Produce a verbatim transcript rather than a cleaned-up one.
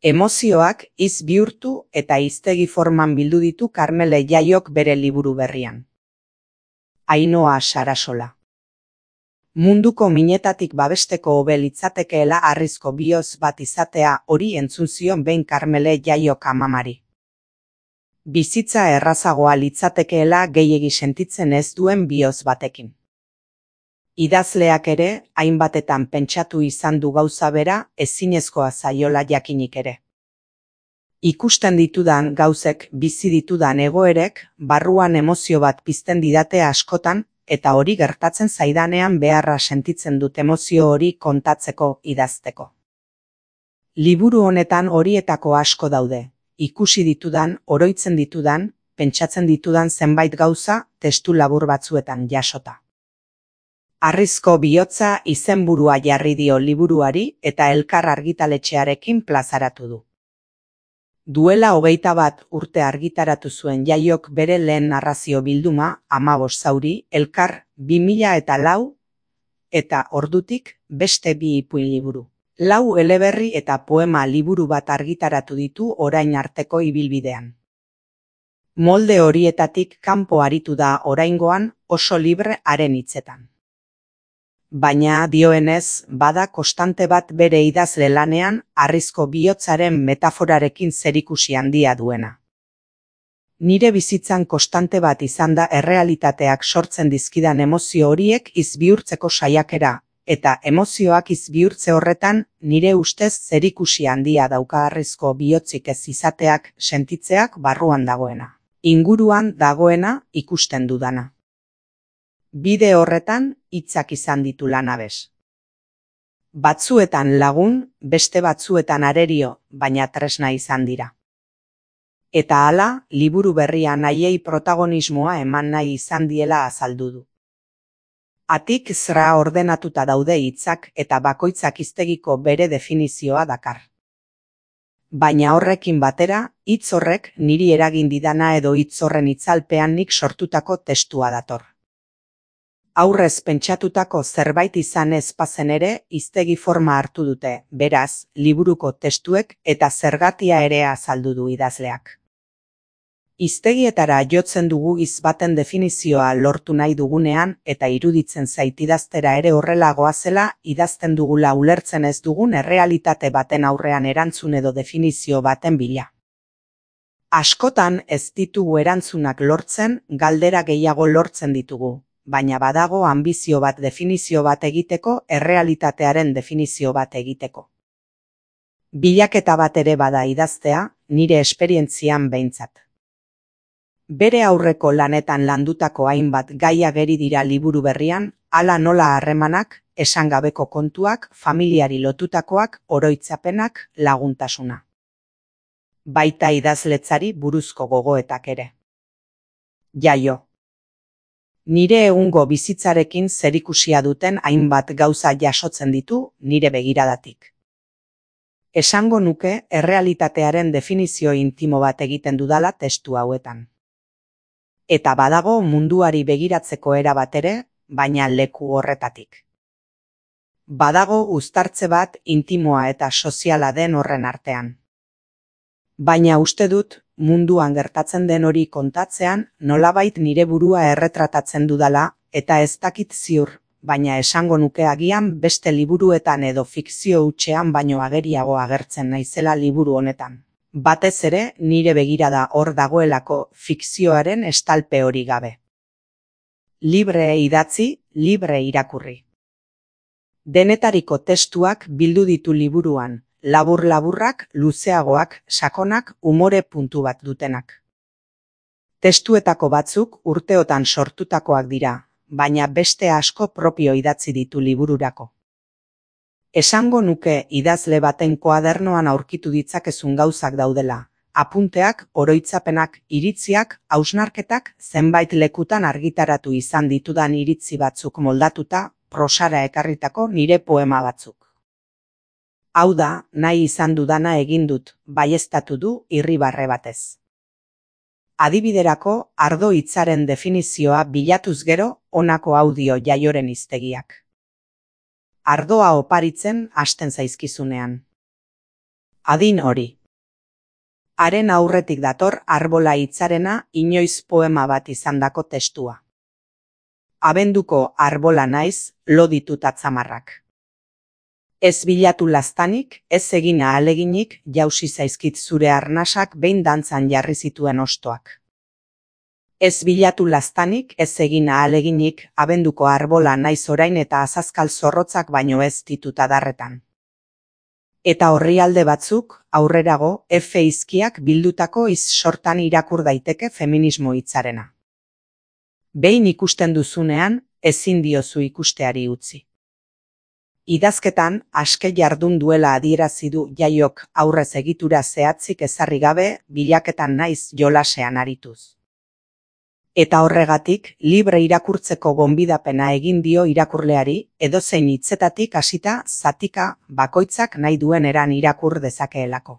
Emozioak hitz bihurtu eta hiztegi forman bildu ditu Karmele Jaiok bere liburu berrian. Ainhoa Sarasola. Munduko minetatik babesteko hobe litzatekeela harrizko bihotz bat izatea, hori entzun zion behin Karmele Jaiok amamari. Bizitza errazagoa litzatekeela gehiegi sentitzen ez duen bihotz batekin. Idazleak ere, hainbatetan pentsatu izan du gauza bera, ezinezkoa zaiola jakinik ere. Ikusten ditudan gauzek, bizi ditudan egoerek, barruan emozio bat pizten didate askotan, eta hori gertatzen zaidanean beharra sentitzen dut emozio hori kontatzeko, idazteko. Liburu honetan horietako asko daude, ikusi ditudan, oroitzen ditudan, pentsatzen ditudan zenbait gauza, testu labur batzuetan jasota. Harrizko bihotza izenburua jarri dio liburuari eta Elkar argitaletxearekin plazaratu du. Duela hogeita bat urte argitaratu zuen Jaiok bere lehen narrazio bilduma, Hamabost zauri, Elkar bi mila eta lau, eta ordutik beste bi ipuin liburu. Lau eleberri eta poema liburu bat argitaratu ditu orain arteko ibilbidean. Molde horietatik kanpo aritu da oraingoan oso libre haren hitzetan. Baina dioenez, bada konstante bat bere idazle lanean, harrizko bihotzaren metaforarekin zerikusi handia duena. Nire bizitzan konstante bat izan da errealitateak sortzen dizkidan emozio horiek hitz bihurtzeko saiakera, eta emozioak hitz bihurtze horretan, nire ustez zerikusi handia dauka harrizko bihotzik ez izateak, sentitzeak barruan dagoena. Inguruan dagoena ikusten dudana. Bide horretan, hitzak izan ditu lanabes. Batzuetan lagun, beste batzuetan arerio, baina tresna izan dira. Eta hala, liburu berria nahiei protagonismoa eman nahi izan diela azaldu du. Atik zra ordenatuta daude hitzak eta bakoitzak hiztegiko bere definizioa dakar. Baina horrekin batera, hitz horrek niri eragin didana edo hitz horren itzalpean nik sortutako testua dator. Aurrez pentsatutako zerbait izan ez bazen ere, hiztegi forma hartu dute, beraz, liburuko testuek eta zergatia ere azaldu du idazleak. Hiztegietara jotzen dugu hitz baten definizioa lortu nahi dugunean eta iruditzen zait idaztera ere horrela goazela, idazten dugula ulertzen ez dugun errealitate baten aurrean erantzun edo definizio baten bila. Askotan ez ditugu erantzunak lortzen, galdera gehiago lortzen ditugu. Baina badago anbizio bat definizio bat egiteko, errealitatearen definizio bat egiteko. Bilaketa bat ere bada idaztea, nire esperientzian behintzat. Bere aurreko lanetan landutako hainbat gai ageri dira liburu berrian, hala nola harremanak, esangabeko kontuak, familiari lotutakoak, oroitzapenak, laguntasuna. Baita idazletzari buruzko gogoetak ere. Jaio. Nire egungo bizitzarekin zerikusia duten hainbat gauza jasotzen ditu nire begiradatik. Esango nuke errealitatearen definizio intimo bat egiten dudala testu hauetan. Eta badago munduari begiratzeko era bat ere, baina leku horretatik. Badago uztartze bat intimoa eta soziala den horren artean. Baina uste dut, munduan gertatzen den hori kontatzean, nolabait nire burua erretratatzen dudala, eta ez dakit ziur, baina esango nuke agian beste liburuetan edo fikzio hutsean baino ageriago agertzen naizela liburu honetan. Batez ere, nire begirada hor dagoelako fikzioaren estalpe hori gabe. Libre idatzi, libre irakurri. Denetariko testuak bildu ditu liburuan, labur-laburrak, luzeagoak, sakonak, umore puntu bat dutenak. Testuetako batzuk urteotan sortutakoak dira, baina beste asko propio idatzi ditu libururako. Esango nuke idazle baten koadernoan aurkitu ditzakezun gauzak daudela, apunteak, oroitzapenak, iritziak, hausnarketak, zenbait lekutan argitaratu izan ditudan iritzi batzuk moldatuta, prosara ekarritako nire poema batzuk. Hau da, nahi izan dudana egin dut, baieztatu du irribarre batez. Adibiderako, ardo hitzaren definizioa bilatuz gero, honako audio Jaioren hiztegiak. 'Ardoa oparitzen hasten zaizkizunean. Adin hori. Haren aurretik dator arbola hitzarena inoiz poema bat izandako testua. Abenduko arbola naiz, lo ditut atzamarrak. Ez bilatu laztanik, ez egin ahaleginik, jausi zaizkit zure arnasak behin dantzan jarri zituen ostoak. Ez bilatu laztanik, ez egin ahaleginik, abenduko arbola naiz orain eta azazkal zorrotzak baino ez ditut adarretan. Eta orrialde batzuk, aurrerago, efe izkiak bildutako iz sortan irakur daiteke feminismo hitzarena. Behin ikusten duzunean, ezin diozu ikusteari utzi. Idazketan, aske jardun duela adierazi du Jaiok aurrez egitura zehatzik ezarri gabe, bilaketan naiz jolasean arituz. Eta horregatik, libre irakurtzeko gonbidapena egin dio irakurleari, edozein hitzetatik hasita zatika bakoitzak nahi duen eran irakur dezakeelako.